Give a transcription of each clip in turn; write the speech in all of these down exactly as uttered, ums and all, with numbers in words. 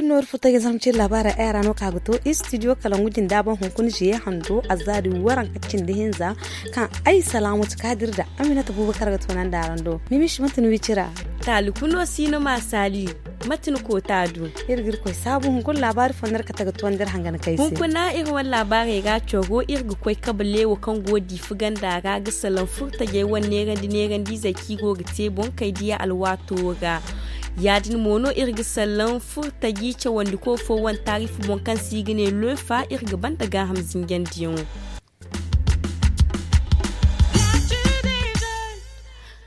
Noori furtajey zamcin laabaara ay ra no ka ga to istidiyo kala ngujin da ban hunkuna ziye hando a zaari waranka cindi hinza. Kaŋ ay salaamatu kaadir da aminata buubakar ga toonandi araŋ do. Mimishi mantin wicira. Taali kuno si no ma saali. Mate ni koota du? Iri ga iri koy saabu hunkuna laabaari fo no iri kate ga toonandi iri hangan kay se. Hunkuna iri wane laabaarey ra coro iri ga koy kabaleewo kaŋ go diifi ganda ra ga salaŋ furtajey wane neerandi neerandiizey kaŋ i go ga te boŋ kay diya alwaato ra. Ya- din mo no iri ga salaŋ furtaji cawandiko fo wane taarifu boŋ kaŋ se i ga ne leefa iri ga banda gaaham zinjandiyaŋo.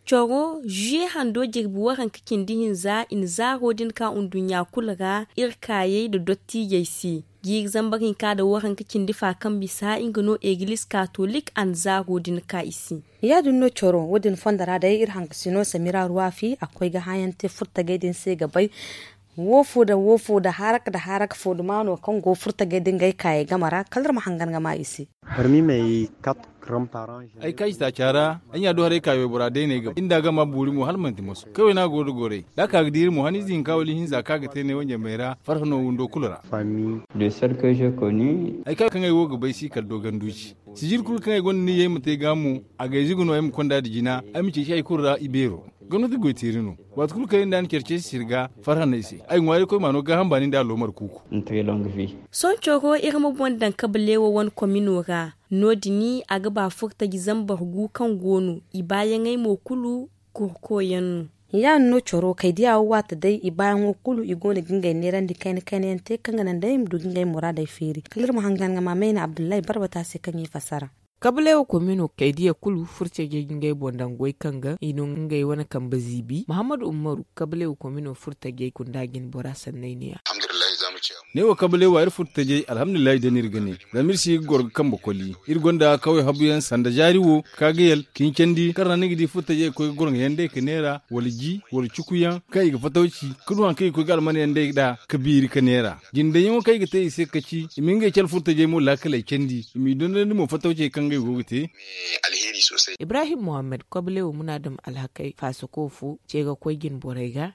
Coro zuye hando jirbi waranka cindi hinza i na zaaro din ka nduɲɲa kulu ra iri kaayey nda dottiijey se. Jiiri zambar hinka nda waranka cindi fa kaŋ bisa nga no egliz katolik a na zaaro din ka i se. Ya- din no coro wo- din fondo ra day iri hankasino samira ruwafi a koy ga hãayaŋ te furtajey din se ga bay. Woofo nda woofo nda harak nda harak fo duma no kaŋ go furtajey din ga ay kaayey game ra kala iri ma hangan ga ma i se. Ay kaaci taaca ra ay ɲa du haray kaayo bora day no ay ga ba inda ga ma boori mo hala manti maso kaway no a go nda goray da a ka ga di iri mo haniize hinka wala ihinza kaŋ a ga te ne wanjamey ra farhano windo kulu ra. Hay kaayo kaŋ ay wo ga bay si kala dooganduuci sijir kulu kaŋ ay gonda ni ye ay ma te ga mo a ga ay ziga no ay ma konda nda jina ay ma ceeci hari kulu ra ibeero. Gomnati goy teeri no. Waati kulu kaŋ ay nda ni care ceeci sirga farhana ay se ay ŋwaarikoy ma no gaaham baani nda aloomar kuuku. Sohõ coro iri ma boŋ daŋ kabaleewo wane komino ra. No- din a ga ba furtaji zambar gu kaŋ go no i baayaŋey mo kulu kurko yaŋ no. Ya- din no coro kay diya wo waati day i baayaŋo kulu i go no ga ngey neerandi kayna kayna yaŋ te kaŋ ga naŋ day i ma du ga ngey muraadey feeri kala iri ma hangan ga ma mayna abdullahi barbata se kaŋ i fassara. Kabaleewo komino kay diya kulu furtajey ga ngey boŋ daŋ goy kaŋ ga i no ngey wane kambe ziibi muhammad ummaru kabaleewo komino furtajey kunda jine bora sanney no ya. Ne wo kabaleewa iri furtajey alhamdulillahi day no iri ga ne. Zama iri si ga goro ga kambe koli iri gonda kaway habu yaŋ sanda zaari wo kaagayal kincandi kaŋ ra ni ga di furtajey ga koy ga goro ga yaŋ day ga neera wala ji wala cuku yaŋ kaŋ i ga fatawci ga du hari kaŋ i ga koy ga almana yaŋ day nd'a ga biiri ga neera. Jinday yaŋo kaŋ i ga te i se ga kaci i ma ngey care furtajey mo laakaley candi i m'i dondonandi mo fatawcey kaŋ ngey go ga te. Ibrahim muhammad koblewo munaadam alhakey faasako fo ce ga koy jine borey ga.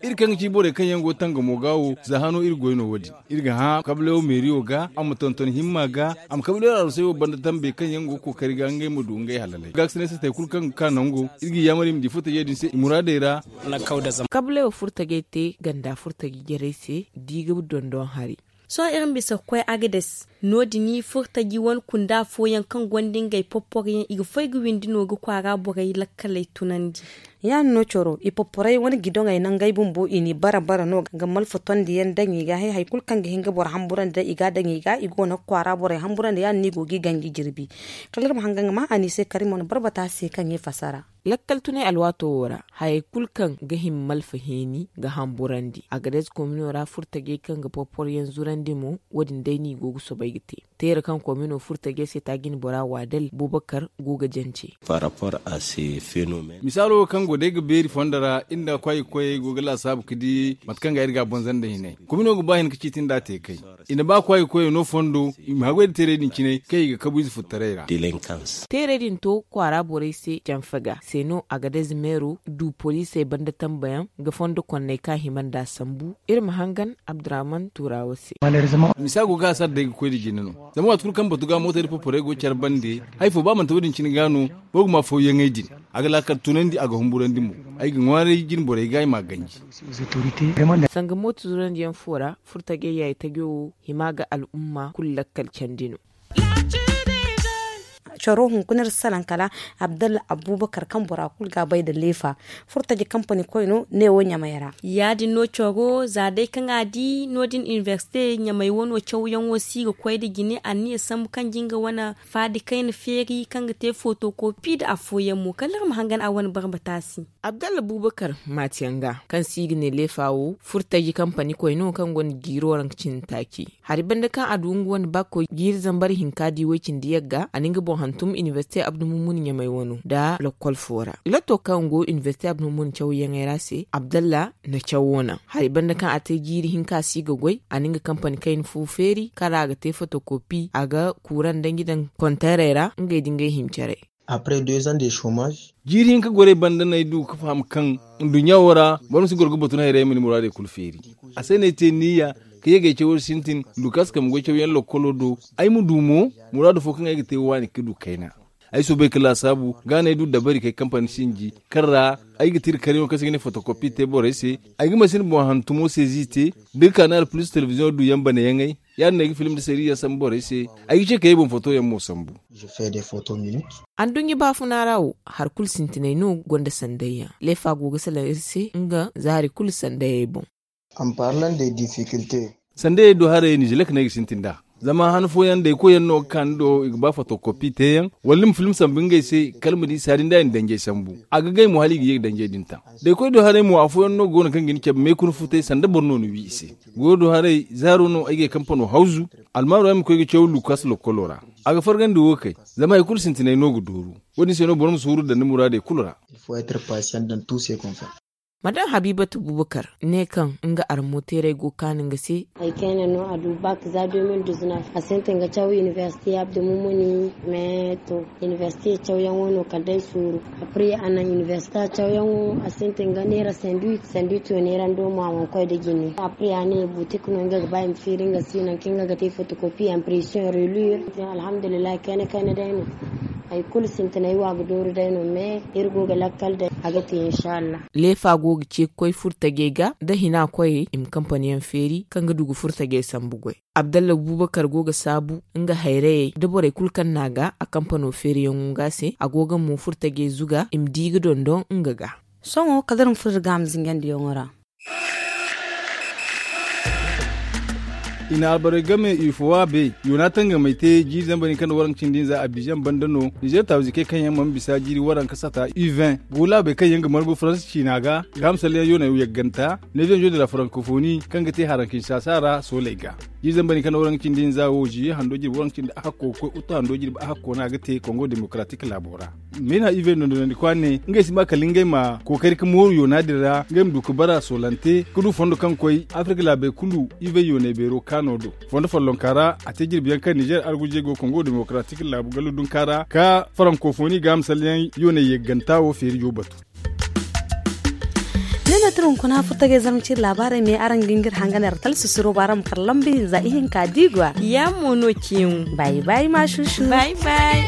Iri kaŋ ga ci borey kaŋ yaŋ go tangamo ga wo za hano iri goy no wo- din. Iri ga hã kablewo meeriyo ga a ma tonton himma ga a ma kablewo arusey wo banda tambey kaŋ yaŋ go ga kookari ga ngey ma du ngey halaley gaakasinay satey kulu kaŋ ga ka nango iri g'i yaamar i ma di furtajey din se i muraadey ra. Kablewo furtajey te ganda furtaji jarey se da i ga dondon hari. Sohõ iri ma bisa ga koy agades. No- din furtaji wane kunda fooyaŋ kaŋ gonda ngey porporo yaŋ i ga fay ga windi no ga kwaara borey lakkaley tunandi. Ya- din no coro i porporey wane gidoŋey no ngey bumbo i n'i bara bara no ga malfa tondi yaŋ daŋ i ga hay hari kulu kaŋ ga hin ga boro hamburandi day i ga a daŋ i ga i go no ga kwaara borey hamburandi ya- din no i go g'i ganji jirbi. Kala iri ma hangan ga ma a n'i se kariman barbata se kaŋ i fassara. Lakkal tunay alwaato wo ra hayey kulu kaŋ ga hima malfa heeni ga hamburandi agades komino ra furtajey kaŋ ga porporo yaŋ zurandi mo wo- din day no i go ga soobay ga te. Teera kaŋ komino furtajey se taajine bora waadal bubakar go ga jance. Misaalo wo kaŋ go day ga beeri fondo ra iri nda kwaayi koyey go ga laasaabu ga di mate kaŋ ga iri ga a bonzar nda hinay komino ga ba hin ga ciiti nda a te kay. I na ba kwaayi koyey no fondo i ma haggoy nda teerey din cine kaŋ i ga kabu ize futtaray ra. Teerey din to kwaara borey se canfe ga se no agadez meero du poliisey banda tambayaŋ ga fondo konney kaŋ a hima nda a sambu. Iri ma hangan abdurrahman turawa se. Misa go ga a sara day ga koy nda jine no. Zama waati kulu kaŋ batu ga mootey nda porporey go care bande hari fo ba manti wo- din cine ga no. Boro ga ma fooyaŋey din a ga laakal tunandi a ga humburandi mo. Ay ga ŋwaaray jine borey ga i m'a ganji. Sanga mooto zurandiyaŋ fo ra furtajey yaayitajo wo hima ga al'umma kulu lakkal candi no. Caro hunkuna iri salaŋ kala abdalla abubakar kaŋ bora kulu ga a bay nda leefa. Furtaji kampani koy no ne wo ɲamay ra. Ya- din no caro za day kaŋ a di no- din inibersite ɲamay wano cawyaŋo si ga koy nda jine anniya sambu kaŋ jin ga wane faadi kayna feeri kaŋ ga te fotokopi nda afooyaŋ mo kala iri ma hangan a wane barbata se. Abdalla bubakar maatiyaŋ ga kaŋ se i ga ne leefa wo furtaji kampani koy no kaŋ gonda jiiri waranka cindi taaci. Hari banda kaŋ a du nga wane bakoy jiiri zambar hinka di way-cindi yagga a na nga boŋ hantum inibersite abdu mumuni ɲamay wano nda lokkol fo ra. Lato kaŋ go inibersite abdu mumuni cawyaŋey ra se abdalla na cawo naŋ. Hari banda kaŋ a te jiiri hinka se i ga goy a na nga kampani kayna fo feeri kaŋ ra a ga te fotokopi a ga kuuraŋ nda nga daŋ konteerey ra ngey da ngey hincarey. Après deux ans de chômage. Jiiri hinka gorey banda no ay du ga faham kaŋ nduɲɲa wo ra boro ma si goro ga batu ni hayray ma ni muraadey kulu feeri. A se no ay te niyya ka ye ga ay cawey sintin lukas ka ma goy cawyaŋ lokkolo do. Ay ma du mo muraadu fo kaŋ ay ga te waani ka du kayna. Ay soobay ka laasaabu ga no ay du dabari kay kampani sinji kaŋ ra ay ga tira karyaŋo kaŋ se ga ne fotokopi te borey se. Ay ga masin boŋ hantumo se zi te da ga ka naara pulis telebiziyoŋ du yaŋ banayaŋey. Ya- din no ay ga filim nda sariya sambu borey se. Ay ga ce ka ye boŋ fotoyaŋ mo sambu. Anduɲɲa baafuna ra wo hari kulu sintinay no gonda sandayyaŋ. Leefa go ga salaŋ iri se nga za hari kulu sandayey boŋ. Sandayey do haray nizelek no ay ga sintin nd'a. Zama han fooyaŋ daykoyyaŋ no ga ka ni do i ga ba fotokopi teeyaŋ wala ni ma filim sambu ngey se kala ma di saari nda i na danjey sambu. A ga gay mo hala i ga ye ga danjey din taŋ. Daykoy do haray mo afooyaŋ no go no kaŋ ga ni cabe meekuna futay sanda boro no ni wi i se. Goyo do haray zaaro no ay ga ye kampano hawzu. Almaaro ay ma koy ga caw lukas lokkolo ra. A ga fargandi wo kay. Zama hari kulu sintinay no ga dooru. Wo- din se no boro ma suuru daŋ ni muraadey kulu ra. Ma daŋ habibatu bubakar ne kaŋ nga armo teeray go ga kaanu nga se. Ay kayna no a du bak za deux mille dix-neuf a sintin ga caw inibersite abdulmumuni. Me to inibersite cawyaŋo no kala day suuru. Apre a naŋ inibersite cawyaŋo a sintin ga neera sandwich sandwich wo neerando mo a mana koy nda jine. Apre a ne butik no nga ga ba i ma fiiri nga se nangu kaŋ nga ga te fotokopi impression relure. Alhamdulillahi kayna kayna day no. Hari kulu sintinay wo a ga dooru day no me iri go ga lakkal day a ga te inshallah. Leefa go ga ce ga koy furtajey ga nda hina koyey i ma kampaniyaŋ feeri kaŋ ga du ga furtajey sambu goy. Abdalla bubakar go ga saabu nga hayrayey nda borey kulu kaŋ no a ga a kampano feeriyaŋo nga se a go ga mo furtajey zuga i ma di ga dondon nga ga. Sohõ kala iri ma furo iri ga a ma zingandiyaŋo ra. I na albarey game i fo a bay yoona tangamey te jiiri zambar hinka nda waranka cindi hinza abijan banda no nizeer taawizikey kaŋ yaŋ mana bisa jiiri waranka sata u vingt go laabey kaŋ yaŋ ga margu faransa ciina ga gahamsalyaŋ yooney yagganta neefiyaŋ joy de la frankofoni kaŋ ga te haranka hinsa saara sooley ga. Jiiri zambar hinka nda waranka cindi hinza wo ziye hando jirbi waranka cindi ahakko ga koy utu hando jirbi ahakko no a ga te kongo demokaratik laabo ra. Meena ive dondonandikwa ne ngey si ba kala ngey ma kookari ka mooru yoona din ra ngey ma du ka bara soolante ka du fondo kaŋ koy afirka laabey kulu ive yooney beero kaano do. Fondo follonka ra a te jirbiyaŋ kaŋ nizeer arguje go kongo demokaratik laabu gallo dunka ra ka farankofoni ga misalyaŋ yooney yagganta wo feerijo batu. Ne no tira hunkuna furtagay zarma ciri laabaarey me araŋ ga ngir hanganay ra talsisiro ba araŋ ma kar lamba hinza ihinka diigwa. Yaamo no ciyaŋ. Bay bay ma susu. Bay bay.